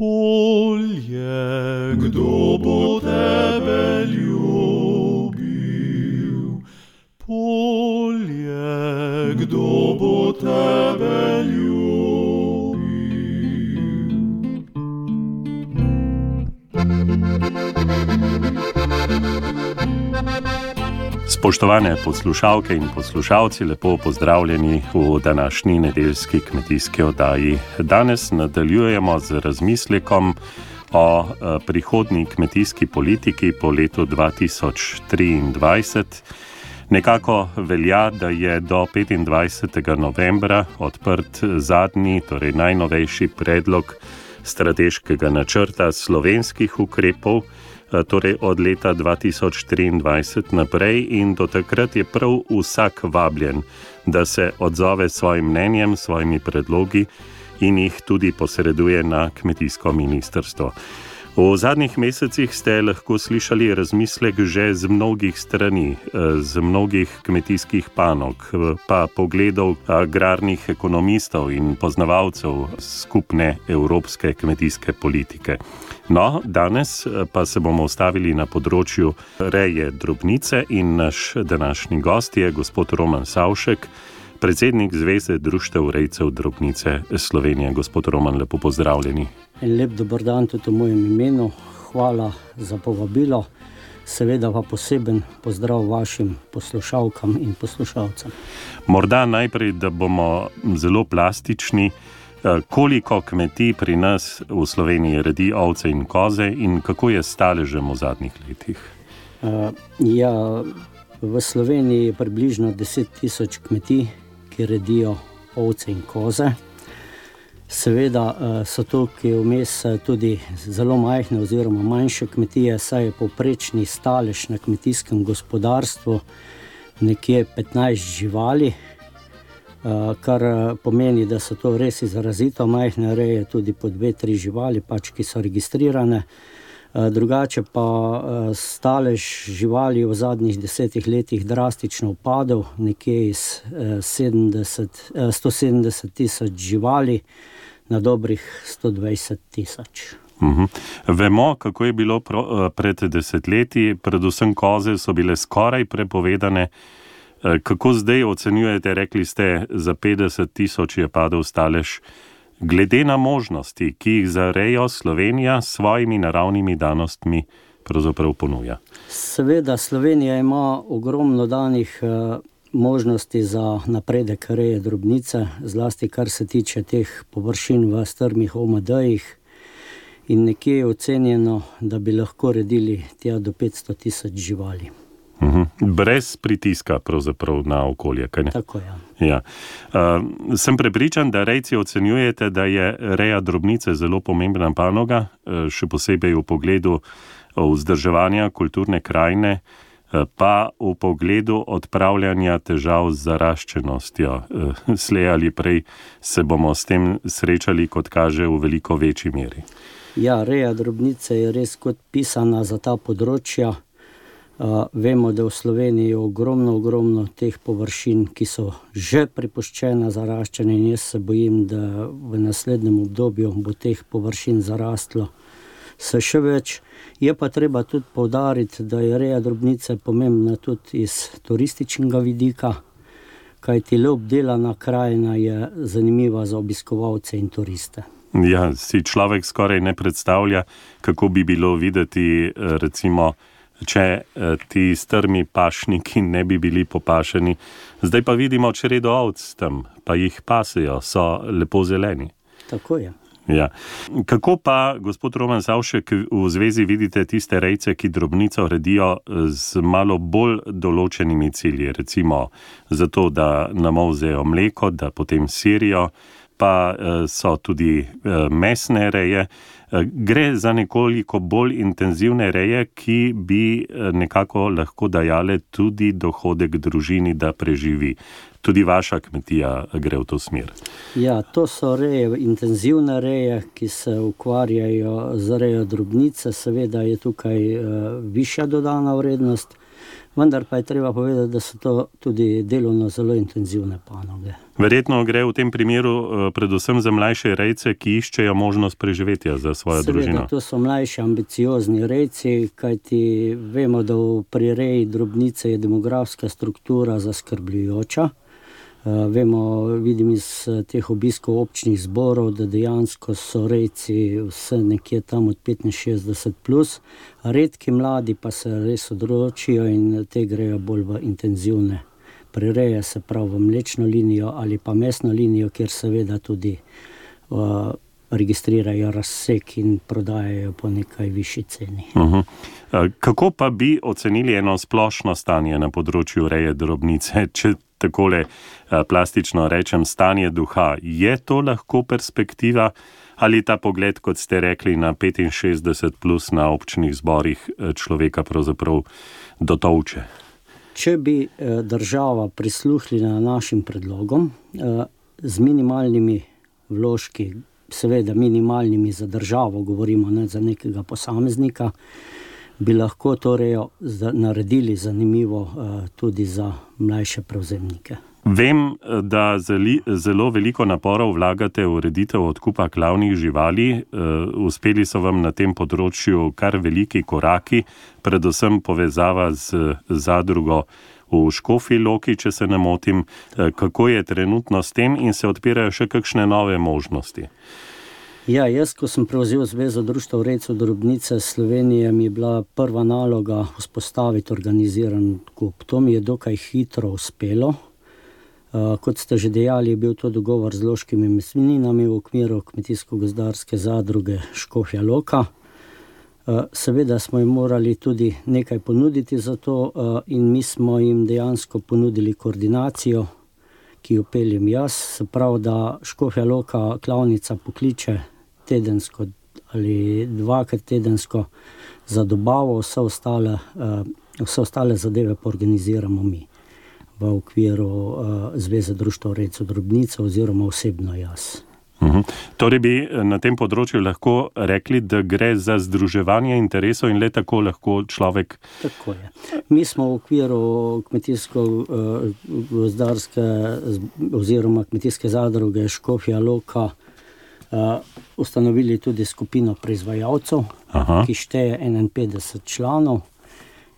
Polje, kdo bo tebe ljubil? Polje, kdo bo tebe ljubil? Spoštovane poslušalke in poslušalci, lepo pozdravljeni v današnji nedeljski kmetijski oddaji. Danes nadaljujemo z razmislekom o prihodnji kmetijski politiki po letu 2023. Nekako velja, da je do 25. novembra odprt zadnji, torej najnovejši predlog strateškega načrta slovenskih ukrepov, torej od leta 2023 naprej, in do takrat je prav vsak vabljen, da se odzove s svojim mnenjem, svojimi predlogi in jih tudi posreduje na kmetijsko ministrstvo. V zadnjih mesecih ste lahko slišali razmislek že z mnogih strani, z mnogih kmetijskih panog, pa pogledov agrarnih ekonomistov in poznavalcev skupne evropske kmetijske politike. No, danes pa se bomo ustavili na področju reje drobnice in naš današnji gost je gospod Roman Savšek, predsednik Zveze društev rejcev drobnice Slovenije. Gospod Roman, lepo pozdravljeni. Lep dober dan tudi v mojem imenu. Hvala za povabilo. Seveda pa poseben pozdrav vašim poslušalkam in poslušalcem. Morda najprej, da bomo zelo plastični, koliko kmetij pri nas v Sloveniji redi ovce in koze in kako je staležem v zadnjih letih? V Sloveniji je približno 10 000 kmetij, ki redijo ovce in koze. Seveda so tukaj vmes tudi zelo majhne oziroma manjše kmetije, saj je povprečni stalež na kmetijskem gospodarstvu nekje 15 živali, kar pomeni, da so to res izrazito majhne reje, tudi po 2-3 živali, ki so registrirane. Drugače pa stalež živali v zadnjih 10 letih drastično upadel, nekje iz 170 000 živali na dobrih 120 000. Vemo, kako je bilo pred desetletji, predvsem koze so bile skoraj prepovedane. Kako zdaj ocenjujete, rekli ste, za 50 000 je padel stalež, glede na možnosti, ki jih za rejo Slovenija s svojimi naravnimi danostmi pravzaprav ponuja? Seveda, Slovenija ima ogromno danih možnosti za napredek reje drobnice, zlasti kar se tiče teh površin v strmih OMD-jih, in nekje je ocenjeno, da bi lahko redili tja do 500 000 živali. Brez pritiska pravzaprav na okolje, kaj ne? Tako, ja. Sem prepričan, da rejci ocenjujete, da je reja drobnice zelo pomembna panoga, še posebej v pogledu vzdrževanja kulturne krajine, pa v pogledu odpravljanja težav z zaraščenostjo. Slej ali prej se bomo s tem srečali, kot kaže, v veliko večji meri. Ja, reja drobnice je res kot pisana za ta področja. Vemo, da v Sloveniji je ogromno teh površin, ki so že prepuščena zaraščanju, in jaz se bojim, da v naslednjem obdobju bo teh površin zarastlo še več. Je pa treba tudi poudariti, da je reja drobnice pomembna tudi iz turističnega vidika, kajti le obdelana krajina je zanimiva za obiskovalce in turiste. Ja, si človek skoraj ne predstavlja, kako bi bilo videti, recimo, če ti strmi pašniki ne bi bili popašeni. Zdaj pa vidimo čredo ovc tam, pa jih pasejo, so lepo zeleni. Tako je. Ja. Kako pa, gospod Roman Savšek, v zvezi vidite tiste rejce, ki drobnico redijo z malo bolj določenimi cilji, recimo zato, da namolzejo mleko, da potem sirijo, pa so tudi mesne reje. Gre za nekoliko bolj intenzivne reje, ki bi nekako lahko dajale tudi dohodek družini, da preživi. Tudi vaša kmetija gre v to smer. Ja, to so reje, intenzivne reje, ki se ukvarjajo z rejo drobnice. Seveda je tukaj višja dodana vrednost. vendar pa je treba povedati, da so to tudi delovno zelo intenzivne panoge. Verjetno gre v tem primeru predvsem za mlajše rejce, ki iščejo možnost preživetja za svojo družino. To so mlajši, ambiciozni rejci, kajti vemo, da pri reji drobnice je demografska struktura zaskrbljujoča. Vidim iz teh obiskov občnih zborov, da dejansko so rejci vse nekje tam od 65+, redki mladi pa se res odločijo in te grejo bolj v intenzivne prireje, se pravi v mlečno linijo ali pa mesno linijo, kjer seveda tudi registrirajo razsek in prodajajo po nekaj višji ceni. Kako pa bi ocenili eno splošno stanje na področju reje drobnice, če takole plastično rečem, stanje duha? Je to lahko perspektiva ali ta pogled, kot ste rekli, na 65+ na občnih zborih človeka pravzaprav dotolče? Če bi država prisluhnila našim predlogom z minimalnimi vložki, seveda minimalnimi za državo, govorimo ne za nekega posameznika, bi lahko to rejo naredili zanimivo tudi za mlajše prevzemnike. Vem, da zelo veliko naporov vlagate v ureditev odkupa klavnih živali. Uspeli so vam na tem področju kar veliki koraki, predvsem povezava z zadrugo v Škofji Loki, če se ne motim. Kako je trenutno s tem in se odpirajo še kakšne nove možnosti? Ja, jaz, ko sem prevzel Zvezo društev rejcev drobnice Slovenije, mi je bila prva naloga vzpostaviti organiziran odkup. To mi je dokaj hitro uspelo. Kot ste že dejali, je bil to dogovor z loškimi mesninami v okviru Kmetijsko-gozdarske zadruge Škofja Loka. Seveda smo jim morali tudi nekaj ponuditi za to in mi smo jim dejansko ponudili koordinacijo, ki jo peljem jaz. Se pravi, da Škofja Loka klavnica pokliče tedensko ali dvakrat tedensko za dobavo, vse ostale zadeve pa organiziramo mi v okviru Zveze društev rejcev drobnice oziroma osebno jaz. Torej bi na tem področju lahko rekli, da gre za združevanje interesov in le tako lahko človek... Tako je. Mi smo v okviru kmetijsko-gozdarske oziroma kmetijske zadruge Škofja Loka ustanovili tudi skupino proizvajalcev, ki šteje 51 članov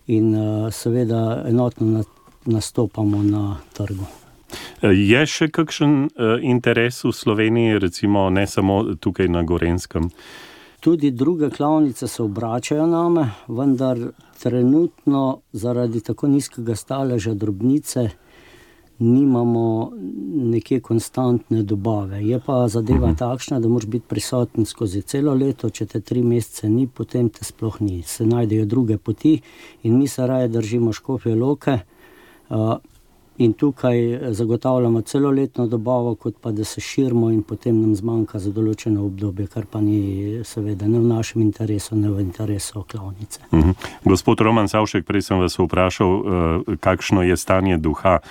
in seveda enotno nastopamo na trgu. Je še kakšen interes v Sloveniji, recimo ne samo tukaj na Gorenjskem? Tudi druge klavnice se obračajo name, vendar trenutno zaradi tako nizkega staleža drobnice nimamo nekje konstantne dobave. Je pa zadeva takšna, da moraš biti prisoten skozi celo leto, če te 3 mesece ni, potem te sploh ni. Se najdejo druge poti in mi se raje držimo Škofje Loke in tukaj zagotavljamo celoletno dobavo, kot pa da se širimo in potem nam zmanjka za določeno obdobje, kar pa ni seveda ne v našem interesu, ne v interesu klavnice. Gospod Roman Savšek, prej sem vas vprašal, kakšno je stanje duha.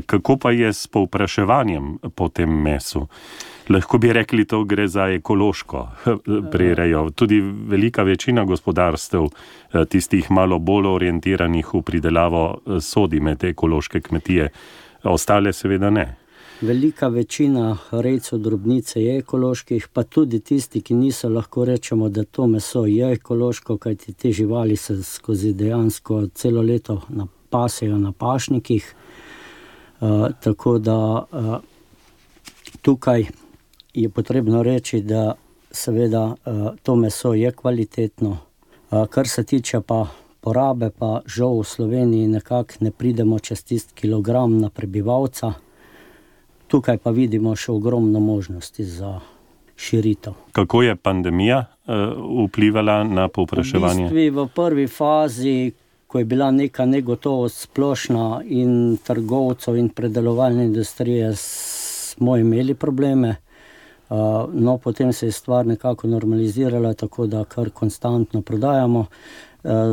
Kako pa je s povpraševanjem po tem mesu? Lahko bi rekli, to gre za ekološko prirejo. Tudi velika večina gospodarstev, tistih malo bolj orientiranih v pridelavo, sodi med ekološke kmetije. Ostale seveda ne. Velika večina rejcev drobnice je ekoloških, pa tudi tisti, ki niso, lahko rečemo, da to meso je ekološko, kajti te živali se skozi dejansko celo leto pasejo na pašnikih. Tako da tukaj je potrebno reči, da seveda to meso je kvalitetno. Kar se tiče pa porabe, pa žal v Sloveniji nekako ne pridemo čez tisti kilogram na prebivalca. Tukaj pa vidimo še ogromno možnosti za širitev. Kako je pandemija vplivala na povpraševanje? V prvi fazi, ko je bila neka negotovost splošna in trgovcev in predelovalne industrije, smo imeli probleme. No, potem se je stvar nekako normalizirala, tako da kar konstantno prodajamo.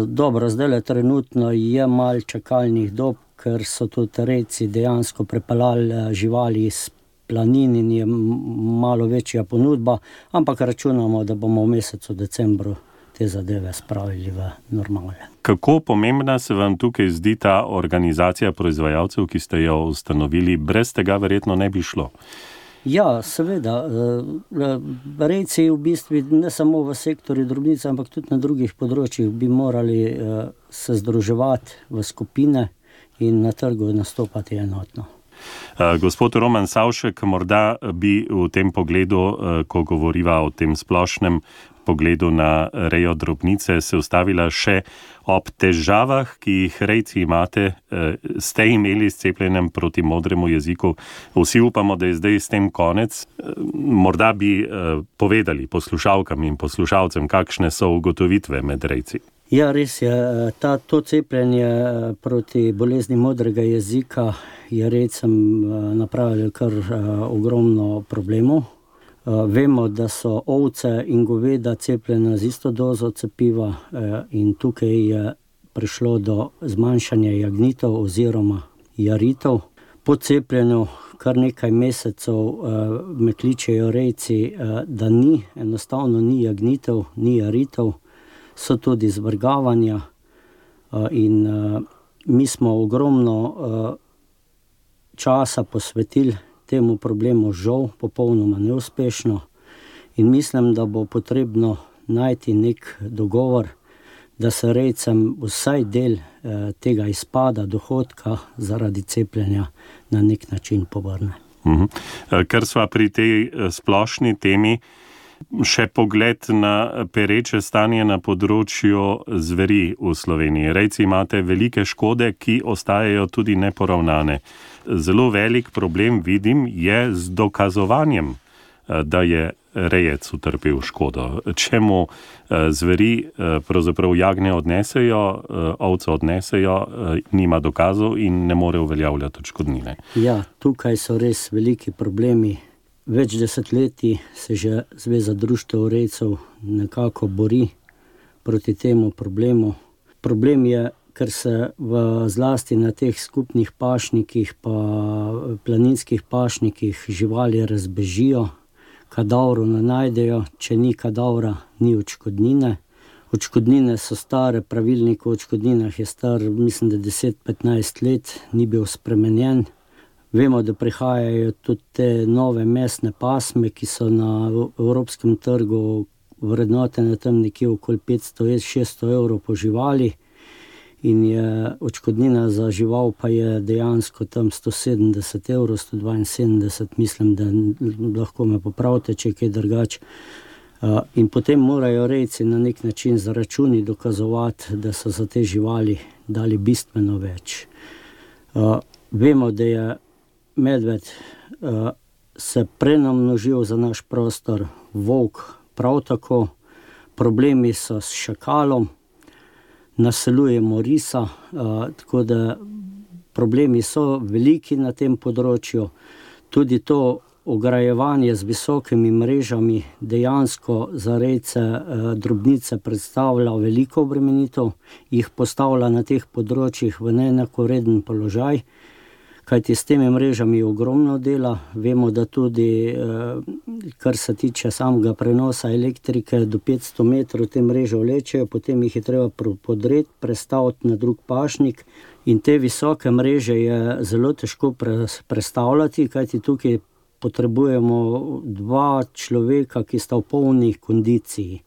Dobro, zdaj trenutno je malo čakalnih dob, ker so tudi rejci dejansko prepeljali živali iz planin in je malo večja ponudba, ampak računamo, da bomo v mesecu decembru te te zadeve spravili v normale. Kako pomembna se vam tukaj zdi ta organizacija proizvajalcev, ki ste jo ustanovili? Brez tega verjetno ne bi šlo. Ja, seveda. Rejci v bistvu ne samo v sektorju drobnice, ampak tudi na drugih področjih bi morali se združevati v skupine in na trgu nastopati enotno. Gospod Roman Savšek, morda bi v tem pogledu, ko govoriva o tem splošnem pogledu na rejo drobnice, se ustavila še ob težavah, ki jih rejci imate, ste imeli s cepljenjem proti modremu jeziku. Vsi upamo, da je zdaj s tem konec. Morda bi povedali poslušalkam in poslušalcem, kakšne so ugotovitve med rejci. Ja, res je. To cepljenje proti bolezni modrega jezika je rejcem napravilo kar ogromno problemov. Vemo, da so ovce in goveda cepljena z isto dozo cepiva in tukaj je prišlo do zmanjšanja jagnitev oziroma jaritev. Po cepljenju kar nekaj mesecev me kličejo rejci, da enostavno ni jagnitev, ni jaritev, so tudi zvrgavanja in mi smo ogromno časa posvetili temu problemu, žal popolnoma neuspešno, in mislim, da bo potrebno najti nek dogovor, da se rejcem vsaj del tega izpada dohodka zaradi cepljenja na nek način povrne. Ker sva pri tej splošni temi, še pogled na pereče stanje na področju zveri v Sloveniji. Rejci imate velike škode, ki ostajajo tudi neporavnane. Zelo velik problem vidim je z dokazovanjem, da je rejec utrpel škodo. Čemu zveri pravzaprav jagnje odnesejo, ovce odnesejo, nima dokazov in ne more uveljavljati odškodnine. Ja, tukaj so res veliki problemi. Več desetletij se že Zveza društev rejcev nekako bori proti temu problemu. Problem je, ker se zlasti na teh skupnih pašnikih pa planinskih pašnikih živali razbežijo, kadavrov ne najdejo, če ni kadavra, ni odškodnine. Odškodnine so stare, pravilnik o odškodninah je star, mislim, da 10-15 let, ni bil spremenjen. Vemo, da prihajajo tudi te nove mesne pasme, ki so na evropskem trgu vrednotene tam nekje okoli 500-600 evrov po živali in je odškodnina za žival pa je dejansko tam 170 evrov, 172, mislim, da lahko me popravite, če je kaj drugače. In potem morajo rejci na nek način z računi dokazovati, da so za te živali dali bistveno več. Vemo, da je medved se prenamnožil za naš prostor, volk prav tako, problemi so s šakalom, naseljujemo risa, tako da problemi so veliki na tem področju. Tudi to ograjevanje z visokimi mrežami dejansko za rejce drobnice predstavlja veliko obremenitev, jih postavlja na teh področjih v neenakovreden položaj, kajti s temi mrežami je ogromno dela. Vemo, da tudi, kar se tiče samega prenosa elektrike, do 500 metrov te mreže vlečejo, potem jih je treba podreti, prestaviti na drug pašnik in te visoke mreže je zelo težko prestavljati, kajti tukaj potrebujemo 2 človeka, ki sta v polni kondiciji.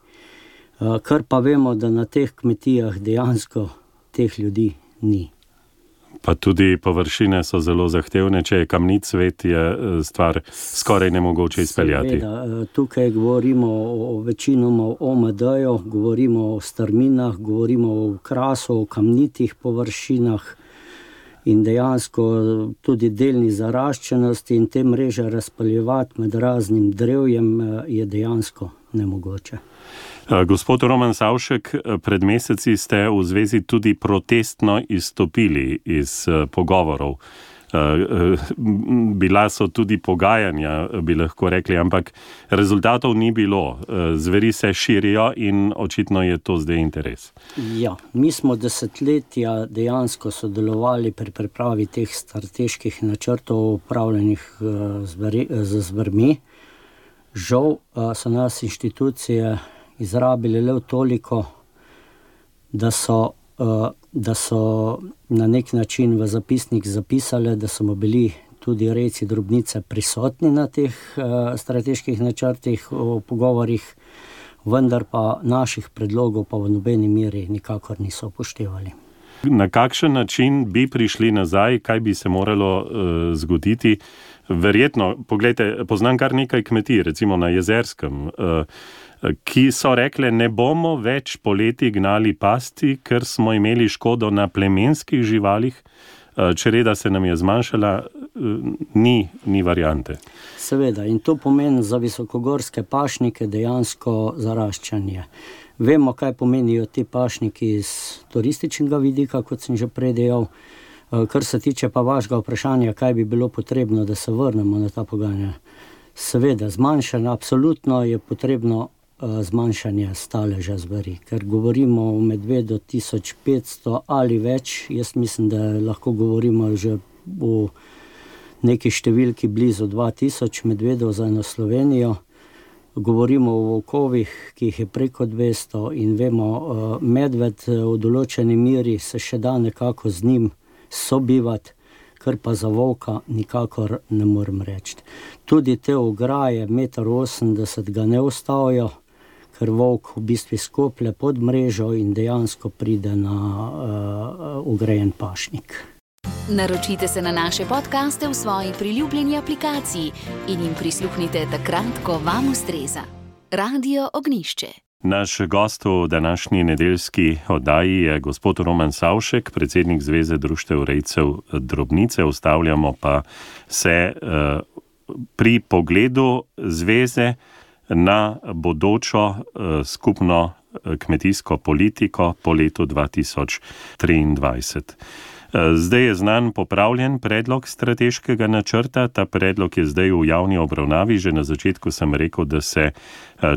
Kar pa vemo, da na teh kmetijah dejansko teh ljudi ni. Pa tudi površine so zelo zahtevne, če je kamnit svet, je stvar skoraj nemogoče izpeljati. Seveda, tukaj govorimo večinoma o OMD-ju, govorimo o strminah, govorimo o krasu, o kamnitih površinah in dejansko tudi delni zaraščenosti in te mreže razpaljevati med raznim drevjem je dejansko nemogoče. Gospod Roman Savšek, pred meseci ste v zvezi tudi protestno izstopili iz pogovorov. Bila so tudi pogajanja, bi lahko rekli, ampak rezultatov ni bilo. Zveri se širijo in očitno je to zdaj interes. Ja, mi smo desetletja dejansko sodelovali pri pripravi teh strateških načrtov upravljenih z zvermi. Žal so nas inštitucije izrabili le toliko, da so na nek način v zapisnik zapisali, da smo bili tudi rejci drobnice prisotni na teh strateških načrtih o pogovorih, vendar pa naših predlogov pa v nobeni meri nikakor niso upoštevali. Na kakšen način bi prišli nazaj, kaj bi se moralo zgoditi? Verjetno, poglejte, poznam kar nekaj kmetij, recimo na Jezerskem, ki so rekle, ne bomo več poleti gnali pasti, ker smo imeli škodo na plemenskih živalih, čreda se nam je zmanjšala, ni variante. Seveda, in to pomeni za visokogorske pašnike dejansko zaraščanje. Vemo, kaj pomenijo ti pašniki iz turističnega vidika, kot sem že prej dejal. Kar se tiče pa vašega vprašanja, kaj bi bilo potrebno, da se vrnemo na ta pogajanja. Seveda, zmanjšanje, absolutno je potrebno zmanjšanje staleža zveri, ker govorimo o medvedu 1500 ali več. Jaz mislim, da lahko govorimo že o neki številki blizu 2000 medvedov za eno Slovenijo. Govorimo o volkovih, ki jih je preko 200 in vemo, medved v določeni meri se še da nekako z njim sobivati, kar pa za volka nikakor ne morem reči. Tudi te ograje 1,80 m ga ne ustavijo, ker volk v bistvu skoplje pod mrežo in dejansko pride na ograjen pašnik. Naročite se na naše podcaste v svoji priljubljeni aplikaciji in jim prisluhnite takrat, ko vam ustreza. Radio Ognjišče. Naš gost v današnji nedeljski oddaji je gospod Roman Savšek, predsednik Zveze društev rejcev drobnice. Ustavljamo pa se pri pogledu zveze na bodočo skupno kmetijsko politiko po letu 2023. Zdaj je znan popravljen predlog strateškega načrta. Ta predlog je zdaj v javni obravnavi. Že na začetku sem rekel, da se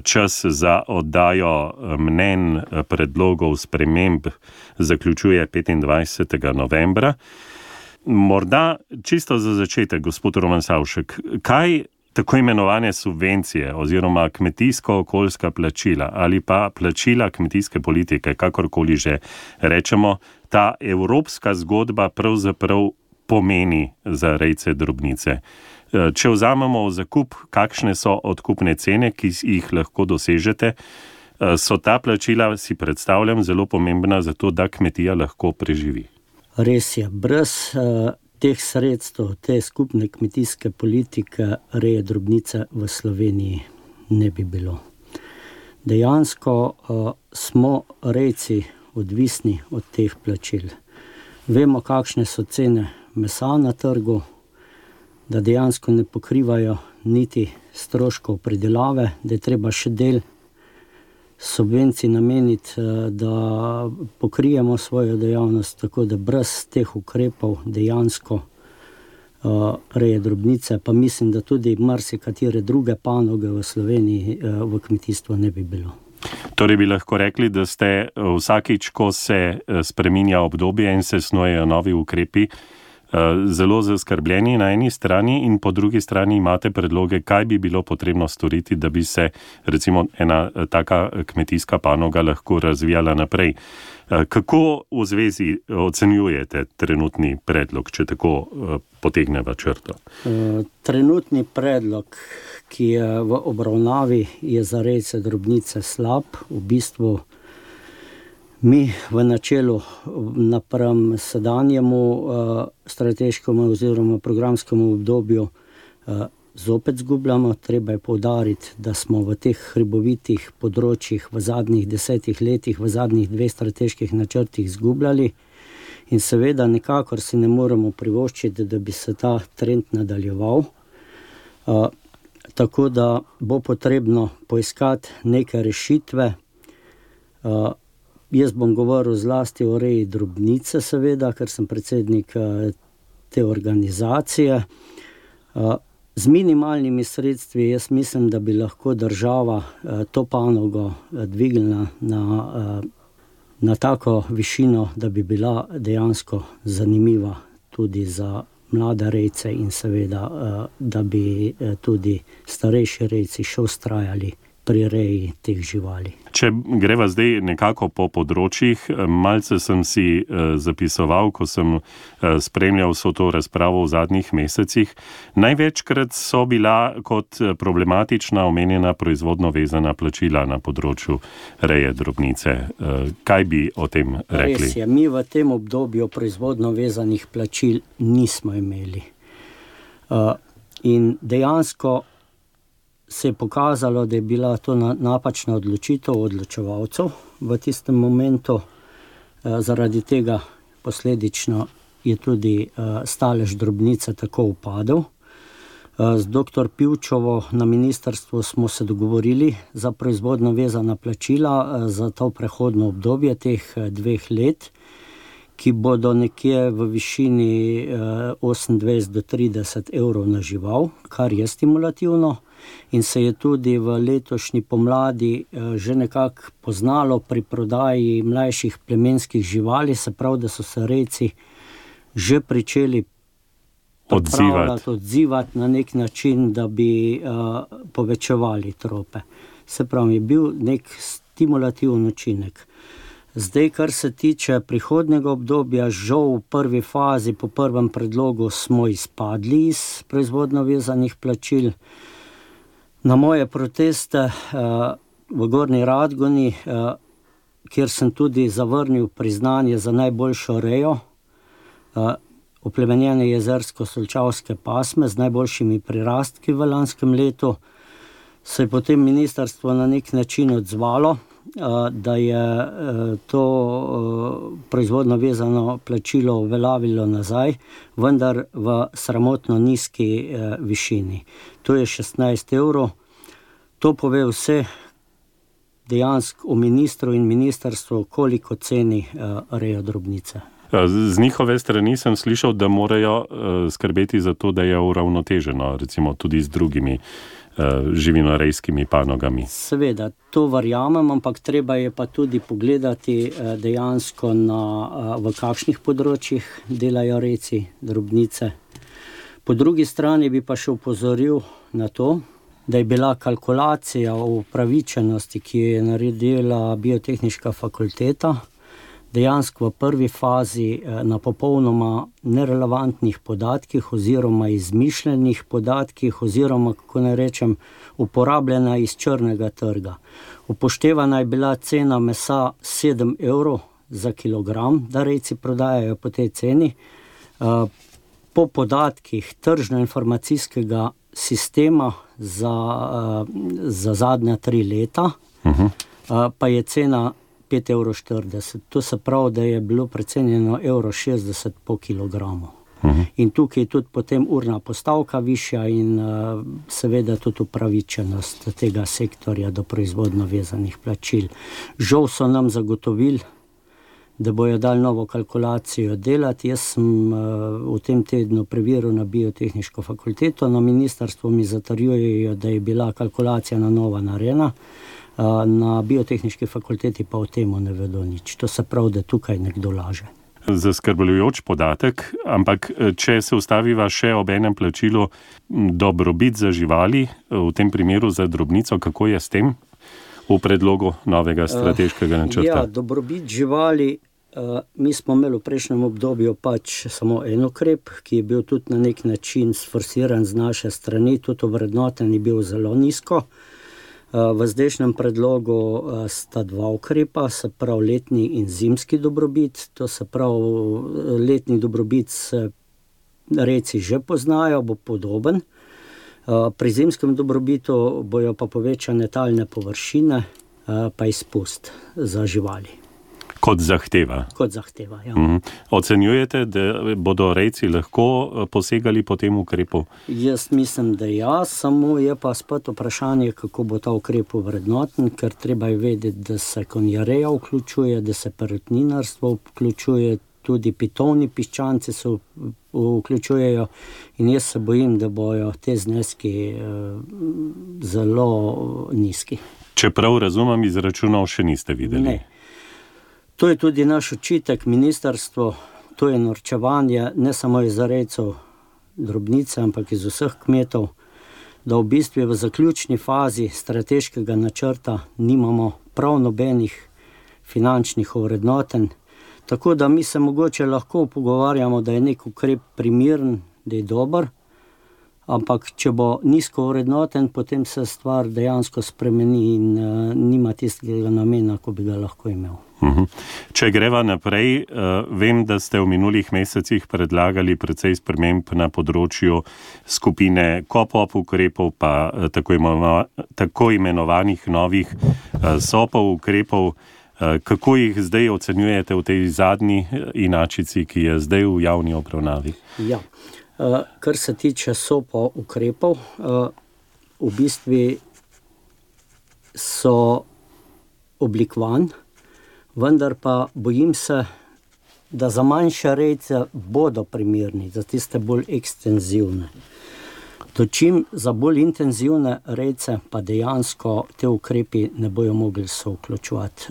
čas za oddajo mnenj predlogov sprememb zaključuje 25. novembra. Morda čisto za začetek, gospod Roman Savšek, kaj tako imenovane subvencije oziroma kmetijsko-okoljska plačila ali pa plačila kmetijske politike, kakorkoli že rečemo, ta evropska zgodba pravzaprav pomeni za rejce drobnice. Če vzamemo v zakup, kakšne so odkupne cene, ki jih lahko dosežete, so ta plačila, si predstavljam, zelo pomembna za to, da kmetija lahko preživi. Res je, brez teh sredstev, te skupne kmetijske politike reje drobnice v Sloveniji ne bi bilo. Dejansko smo rejci odvisni od teh plačil. Vemo, kakšne so cene mesa na trgu, da dejansko ne pokrivajo niti stroškov pridelave, da je treba še del subvencij nameniti, da pokrijemo svojo dejavnost, tako da brez teh ukrepov dejansko reje drobnice, pa mislim, da tudi marsikatere druge panoge v Sloveniji v kmetijstvu ne bi bilo. Torej bi lahko rekli, da ste vsakič, ko se spreminja obdobje in se snujejo novi ukrepi, zelo zaskrbljeni na eni strani in po drugi strani imate predloge, kaj bi bilo potrebno storiti, da bi se recimo ena taka kmetijska panoga lahko razvijala naprej. Kako v zvezi ocenjujete trenutni predlog, če tako potegneva črto? Trenutni predlog, ki je v obravnavi, je za rejce drobnice slab. V bistvu mi v načelu napram sedanjemu strateškemu oziroma programskemu obdobju zopet zgubljamo. Treba je poudariti, da smo v teh hribovitih področjih v zadnjih 10 letih, v zadnjih 2 strateških načrtih zgubljali in seveda nekakor si ne moremo privoščiti, da bi se ta trend nadaljeval. Tako da bo potrebno poiskati neke rešitve. Jaz bom govoril zlasti o reji drobnice, seveda, ker sem predsednik te organizacije. Z minimalnimi sredstvi jaz mislim, da bi lahko država to panogo dvignila na tako višino, da bi bila dejansko zanimiva tudi za mlade rejce in seveda, da bi tudi starejši rejci še vztrajali pri reji teh živali. Če greva zdaj nekako po področjih, malce sem si zapisoval, ko sem spremljal vso to razpravo v zadnjih mesecih. Največkrat so bila kot problematična omenjena proizvodno vezana plačila na področju reje drobnice. Kaj bi o tem rekli? Res je, mi v tem obdobju proizvodno vezanih plačil nismo imeli. In dejansko se je pokazalo, da je bila to napačna odločitev odločevalcev v tistem momentu. Zaradi tega posledično je tudi stalež drobnice tako upadel. Z dr. Pivčevo na ministrstvu smo se dogovorili za proizvodno vezana plačila za to prehodno obdobje teh 2 let, ki bodo nekje v višini 28 do 30 evrov na žival, kar je stimulativno. In se je tudi v letošnji pomladi že nekako poznalo pri prodaji mlajših plemenskih živali, se pravi, da so se rejci že pričeli odzivati na nek način, da bi povečevali trope. Se pravi, je bil nek stimulativen učinek. Zdaj, kar se tiče prihodnjega obdobja, žal v prvi fazi, po prvem predlogu smo izpadli iz proizvodno vezanih plačil. Na moje proteste v Gornji Radgoni, kjer sem tudi zavrnil priznanje za najboljšo rejo, oplemenjene jezersko-solčavske pasme z najboljšimi prirastki v lanskem letu, se je potem ministrstvo na nek način odzvalo, da je to proizvodno vezano plačilo uveljavilo nazaj, vendar v sramotno nizki višini. To je 16 evrov. To pove vse dejansko o ministru in ministrstvu, koliko ceni rejo drobnice. Z njihove strani sem slišal, da morajo skrbeti za to, da je uravnoteženo, recimo tudi z drugimi živinorejskimi panogami. Seveda, to verjamem, ampak treba je pa tudi pogledati dejansko v kakšnih področjih delajo rejci drobnice. Po drugi strani bi pa še opozoril na to, da je bila kalkulacija o upravičenosti, ki jo je naredila Biotehniška fakulteta, dejansko v prvi fazi na popolnoma nerelevantnih podatkih oziroma izmišljenih podatkih oziroma, kako naj rečem, uporabljena iz črnega trga. Upoštevana je bila cena mesa 7 evrov za kilogram, da rejci prodajajo po tej ceni. Po podatkih tržno-informacijskega sistema za zadnja 3 leta, pa je cena 5,40 evrov. To se pravi, da je bilo precenjeno 1,60 evra po kilogramu. In tukaj je tudi potem urna postavka višja in seveda tudi upravičenost tega sektorja do proizvodno vezanih plačil. Žal so nam zagotovili, da bojo dali novo kalkulacijo delati. Jaz sem v tem tednu preveril na Biotehniško fakulteto, na ministrstvu mi zatrjujejo, da je bila kalkulacija na novo narejena. Na Biotehniški fakulteti pa o tem ne vedo nič. To se pravi, da tukaj nekdo laže. Zaskrbljujoč podatek, ampak če se ustaviva še ob enem plačilu dobrobit za živali, v tem primeru za drobnico, kako je s tem v predlogu novega strateškega načrta? Ja, dobrobit živali, mi smo imeli v prejšnjem obdobju pač samo en ukrep, ki je bil tudi na nek način sforsiran z naše strani, tudi ovrednoten je bil zelo nizko. V zdajšnjem predlogu sta 2 ukrepa, se pravi letni in zimski dobrobit. To se pravi, letni dobrobit se rejci že poznajo, bo podoben. Pri zimskem dobrobitu bojo pa povečane talne površine, pa izpust za živali. Kot zahteva. Kot zahteva, ja. Ocenjujete, da bodo rejci lahko posegali po tem ukrepu? Jaz mislim, da ja, samo je pa spet vprašanje, kako bo ta ukrep ovrednoten, ker treba je vedeti, da se konjareja vključuje, da se perutninarstvo vključuje, tudi pitovni piščanci se vključujejo in jaz se bojim, da bojo te zneski zelo nizki. Če prav razumem, izračunov še niste videli? Ne. To je tudi naš očitek ministrstvu, to je norčevanje ne samo iz rejcev drobnice, ampak iz vseh kmetov, da v bistvu v zaključni fazi strateškega načrta nimamo prav nobenih finančnih ovrednotenj, tako da mi se mogoče lahko pogovarjamo, da je nek ukrep primeren, da je dober, ampak če bo nizko ovrednoten, potem se stvar dejansko spremeni in nima tistega namena, ko bi ga lahko imel. Če greva naprej, vem, da ste v minulih mesecih predlagali precej sprememb na področju skupine KOPOP ukrepov, pa tako imenovanih novih SOPov ukrepov. Kako jih zdaj ocenjujete v tej zadnji inačici, ki je zdaj v javni obravnavi? Ja, kar se tiče SOPov ukrepov, v bistvu so oblikovan, vendar pa bojim se, da za manjše rejce bodo primerni, za tiste bolj ekstenzivne. Dočim za bolj intenzivne rejce pa dejansko te ukrepi ne bojo mogli se vključevati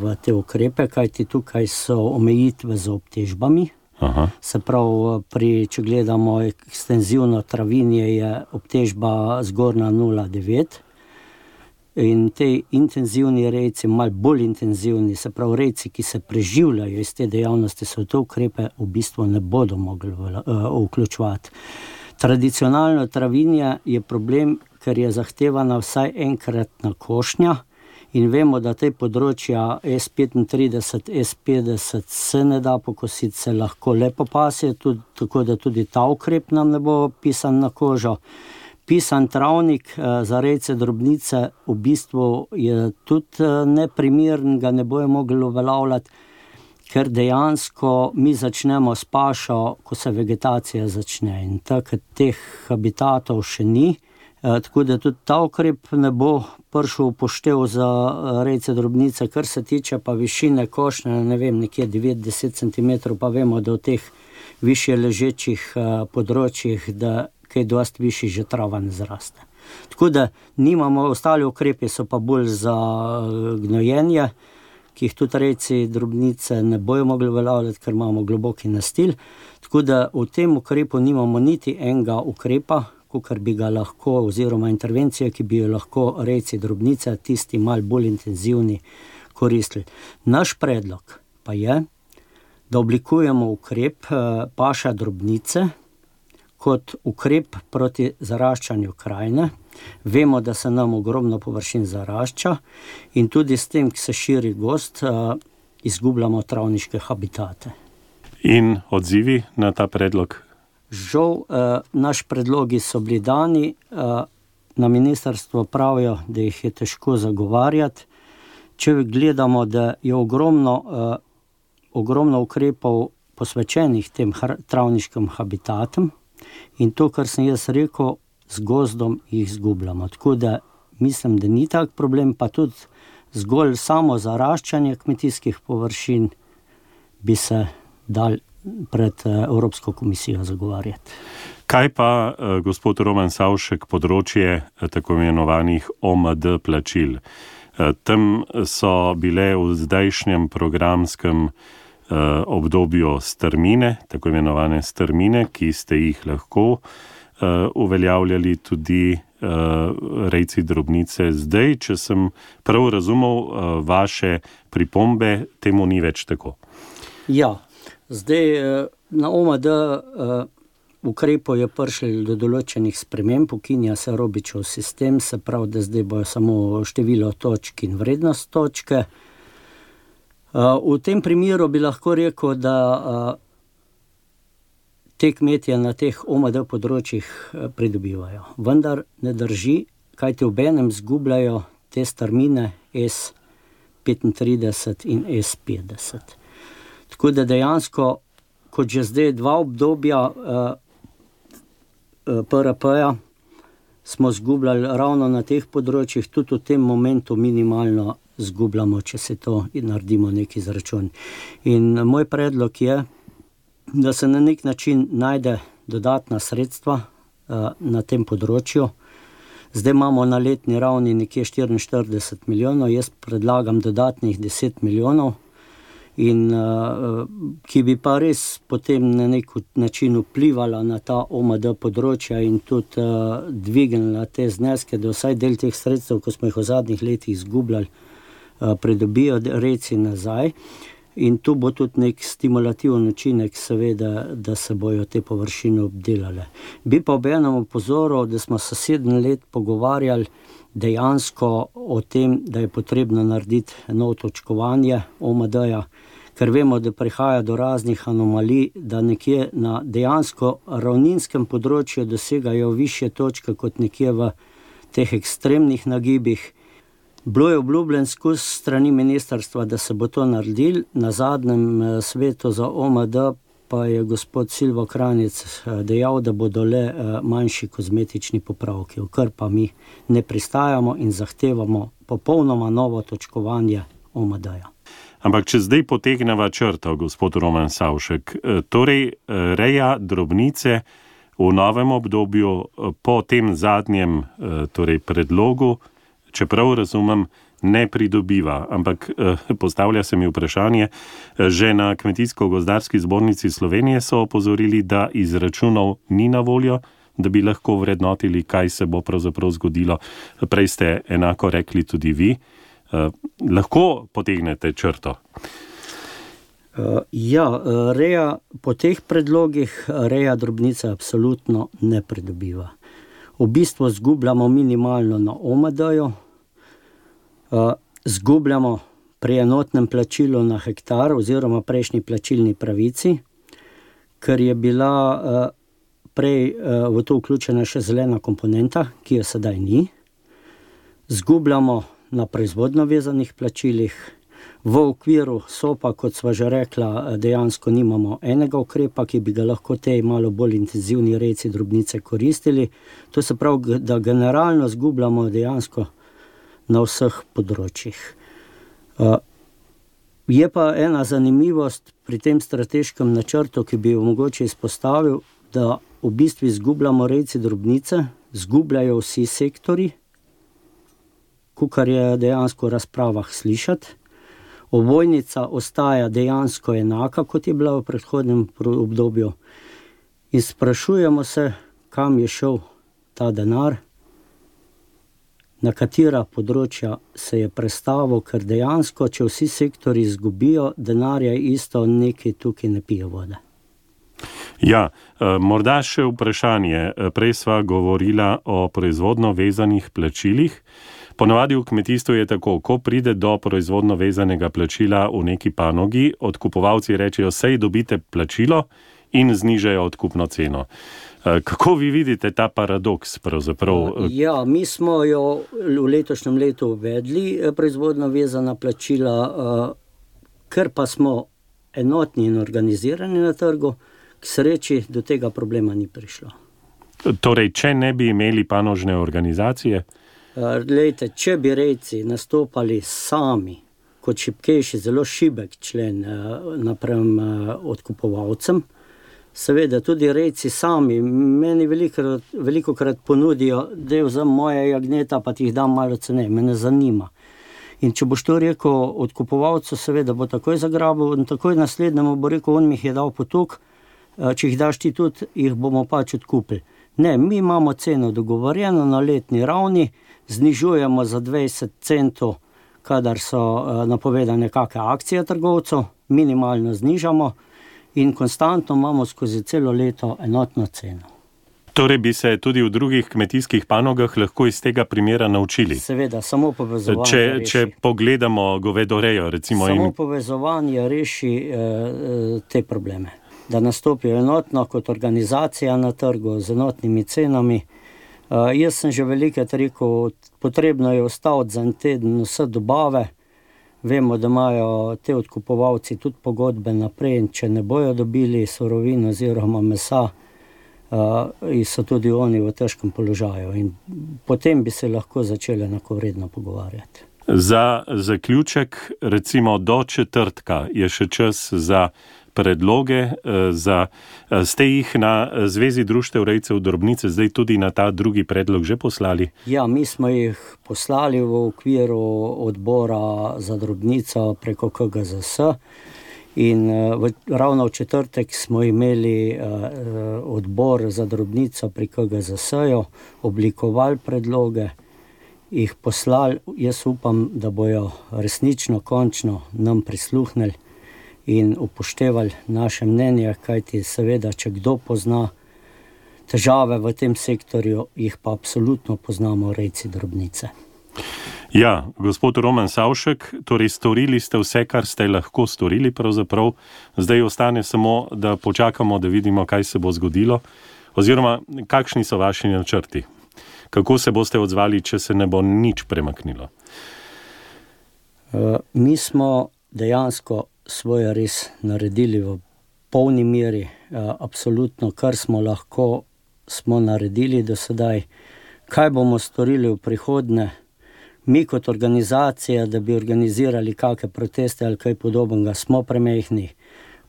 v te ukrepe, kajti tukaj so omejitve z obtežbami. Aha. Se pravi, če gledamo ekstenzivno travinje, je obtežba zgornja 0,9 in te intenzivni rejci, malo bolj intenzivni, se pravi rejci, ki se preživljajo iz te dejavnosti, so te ukrepe v bistvu ne bodo mogli vključevati. Tradicionalno travinje je problem, ker je zahtevana vsaj enkratna košnja in vemo, da te področja S35, S50 se ne da pokositi, se lahko le popasje, tako da tudi ta ukrep nam ne bo pisan na kožo. Pisan travnik za rejce drobnice v bistvu je tudi neprimeren, ga ne bojo mogli uveljavljati, ker dejansko mi začnemo s pašo, ko se vegetacija začne in takrat teh habitatov še ni, tako da tudi ta ukrep ne bo prišel upoštev za rejce drobnice. Kar se tiče pa višine košnje, ne vem, nekje 9-10 cm, pa vemo, da v teh višje ležečih področjih, da kaj dosti višji že trava ne zraste. Tako da nimamo, ostali ukrepi so pa bolj za gnojenje, ki jih tudi rejci drobnice ne bojo mogli uveljavljati, ker imamo globoki nastil. Tako da v tem ukrepu nimamo niti enega ukrepa, kakor bi ga lahko, oziroma intervencije, ki bi jo lahko rejci drobnice, tisti malo bolj intenzivni, koristili. Naš predlog pa je, da oblikujemo ukrep paša drobnice kot ukrep proti zaraščanju krajine. Vemo, da se nam ogromno površin zarašča in tudi s tem, ki se širi gozd, izgubljamo travniške habitate. In odzivi na ta predlog? Žal, naši predlogi so bili dani, na ministrstvo pravijo, da jih je težko zagovarjati. Če gledamo, da je ogromno ukrepov posvečenih tem travniškim habitatom in to, kar sem jaz rekel, z gozdom jih izgubljamo. Tako da mislim, da ni tak problem, pa tudi zgolj samo zaraščanje kmetijskih površin bi se dal pred Evropsko komisijo zagovarjati. Kaj pa, gospod Roman Savšek, področje tako imenovanih OMD plačil? Tam so bile v zdajšnjem programskem obdobju strmine, tako imenovane strmine, ki ste jih lahko uveljavljali tudi rejci drobnice. Zdaj, če sem prav razumel vaše pripombe, temu ni več tako. Ja, zdaj na OMD ukrepov je prišlo do določenih sprememb, ukinja se Robičev sistem, se pravi, da zdaj bojo samo število točk in vrednost točke. V tem primeru bi lahko rekel, da te kmetje na teh OMD področjih pridobivajo. Vendar ne drži, kajti obenem zgubljajo te strmine S35 in S50. Tako da dejansko, kot že zdaj 2 obdobja PRP-ja, smo zgubljali ravno na teh področjih, tudi v tem momentu minimalno zgubljamo, če se to naredimo neki izračun. In moj predlog je, da se na nek način najde dodatna sredstva na tem področju. Zdaj imamo na letni ravni nekje 44 milijonov, jaz predlagam dodatnih 10 milijonov in ki bi pa res potem na nek način vplivala na ta OMD področja in tudi dvignila te zneske, da vsaj del teh sredstev, ko smo jih v zadnjih letih izgubljali, pridobijo reci nazaj. In tu bo tudi nek stimulativen učinek, seveda, da se bojo te površine obdelale. Bi pa obenem opozoril, da smo se 7 let pogovarjali dejansko o tem, da je potrebno narediti novo točkovanje OMD-ja, ker vemo, da prihaja do raznih anomalij, da nekje na dejansko ravninskem področju dosegajo višje točke kot nekje v teh ekstremnih nagibih. Bilo je obljubljen skozi strani ministrstva, da se bo to naredil. Na zadnjem svetu za OMD pa je gospod Silvo Kranjec dejal, da bodo le manjši kozmetični popravki, v kar pa mi ne pristajamo in zahtevamo popolnoma novo točkovanje OMD-ja. Ampak če zdaj potegneva črto, gospod Roman Savšek, torej reja drobnice v novem obdobju po tem zadnjem predlogu, čeprav razumem, ne pridobiva, ampak postavlja se mi vprašanje, že na Kmetijsko-gozdarski zbornici Slovenije so opozorili, da izračunov ni na voljo, da bi lahko vrednotili, kaj se bo pravzaprav zgodilo. Prej ste enako rekli tudi vi. Lahko potegnete črto? Reja po teh predlogih, reja drobnice absolutno ne pridobiva. V bistvu zgubljamo minimalno na OMD-ju, zgubljamo pri enotnem plačilu na hektar oziroma prejšnji plačilni pravici, ker je bila prej v to vključena še zelena komponenta, ki jo sedaj ni. Zgubljamo na proizvodno vezanih plačilih. V okviru SOP-a, kot sva že rekla, dejansko nimamo enega ukrepa, ki bi ga lahko tej malo bolj intenzivni rejci drobnice koristili. To se pravi, da generalno zgubljamo dejansko na vseh področjih. Je pa ena zanimivost pri tem strateškem načrtu, ki bi jo mogoče izpostavil, da v bistvu izgubljamo rejci drobnice, zgubljajo vsi sektori, kakor je dejansko v razpravah slišati. Ovojnica ostaja dejansko enaka, kot je bila v predhodnem obdobju. In sprašujemo se, kam je šel ta denar, na katera področja se je prestavil, ker dejansko, če vsi sektori izgubijo, denarja isto nekaj tukaj ne pije vode. Ja, morda še vprašanje. Prej sva govorila o proizvodno vezanih plačilih. Ponavadi v kmetijstvu je tako, ko pride do proizvodno vezanega plačila v neki panogi, odkupovalci rečejo, sej dobite plačilo in znižajo odkupno ceno. Kako vi vidite ta paradoks pravzaprav? Ja, mi smo jo v letošnjem letu uvedli, proizvodno vezana plačila, ker pa smo enotni in organizirani na trgu, k sreči do tega problema ni prišlo. Torej, če ne bi imeli panožne organizacije? Glejte, če bi rejci nastopali sami, kot šibkejši, zelo šibek člen napram odkupovalcem, seveda tudi rejci sami, meni velikokrat ponudijo, da vzem moje jagneta, pa ti jih dam malo ceneje, me ne zanima. In če boš to rekel odkupovalcu, seveda bo takoj zagrabil in takoj naslednjemu bo rekel, on mi jih je dal potuk, če jih daš ti tudi, jih bomo pač odkupili. Ne, mi imamo ceno dogovorjeno na letni ravni, znižujemo za 20 centov, kadar so napovedane kakšne akcije trgovcev, minimalno znižamo in konstantno imamo skozi celo leto enotno ceno. Torej bi se tudi v drugih kmetijskih panogah lahko iz tega primera naučili? Seveda, samo povezovanje reši. Če pogledamo govedorejo, recimo. Samo povezovanje reši te probleme. Da nastopijo enotno kot organizacija na trgu z enotnimi cenami. Jaz sem že velikokrat rekel, potrebno je ostati za en teden vse dobave. Vemo, da imajo te odkupovalci tudi pogodbe naprej in če ne bojo dobili surovin oziroma mesa, so tudi oni v težkem položaju. In potem bi se lahko začeli enakovredno pogovarjati. Za zaključek, recimo do četrtka, je še čas za predloge, ste jih na Zvezi društev rejcev drobnice zdaj tudi na ta drugi predlog že poslali? Ja, mi smo jih poslali v okviru odbora za drobnico preko KGZS In ravno v četrtek smo imeli odbor za drobnico pri KGZS-ju, oblikovali predloge, jih poslali. Jaz upam, da bojo resnično, končno nam prisluhnili in upoštevali naše mnenje, kajti seveda, če kdo pozna težave v tem sektorju, jih pa absolutno poznamo rejci drobnice. Ja, gospod Roman Savšek, torej storili ste vse, kar ste lahko storili pravzaprav. Zdaj ostane samo, da počakamo, da vidimo, kaj se bo zgodilo, oziroma kakšni so vaši načrti. Kako se boste odzvali, če se ne bo nič premaknilo? Mi smo dejansko svoje res naredili v polni meri. Absolutno, kar smo lahko, smo naredili do sedaj. Kaj bomo storili v prihodnje? Mi kot organizacija, da bi organizirali kakšne proteste ali kaj podobnega, smo premehni.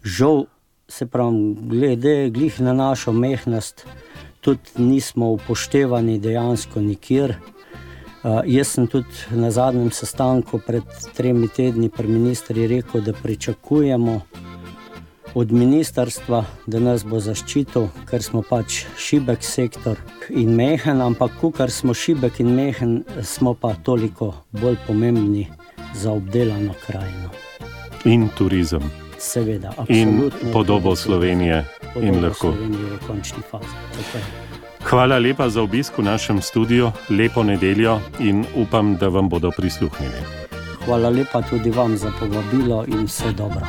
Žal, se pravim, glede glih na našo mehnost, tudi nismo upoštevani dejansko nikjer. Jaz sem tudi na zadnjem sestanku pred 3 tedni pri ministri rekel, da pričakujemo od ministrstva, da nas bo zaščitil, ker smo pač šibek sektor in mehen, ampak kar smo šibek in mehen, smo pa toliko bolj pomembni za obdelano krajino. In turizem. Seveda, absolutno. In podobo Slovenije. In lahko. Slovenije v končni fazi. Tako je. Hvala lepa za obisk v našem studiu, lepo nedeljo in upam, da vam bodo prisluhnili. Hvala lepa tudi vam za povabilo in vse dobro.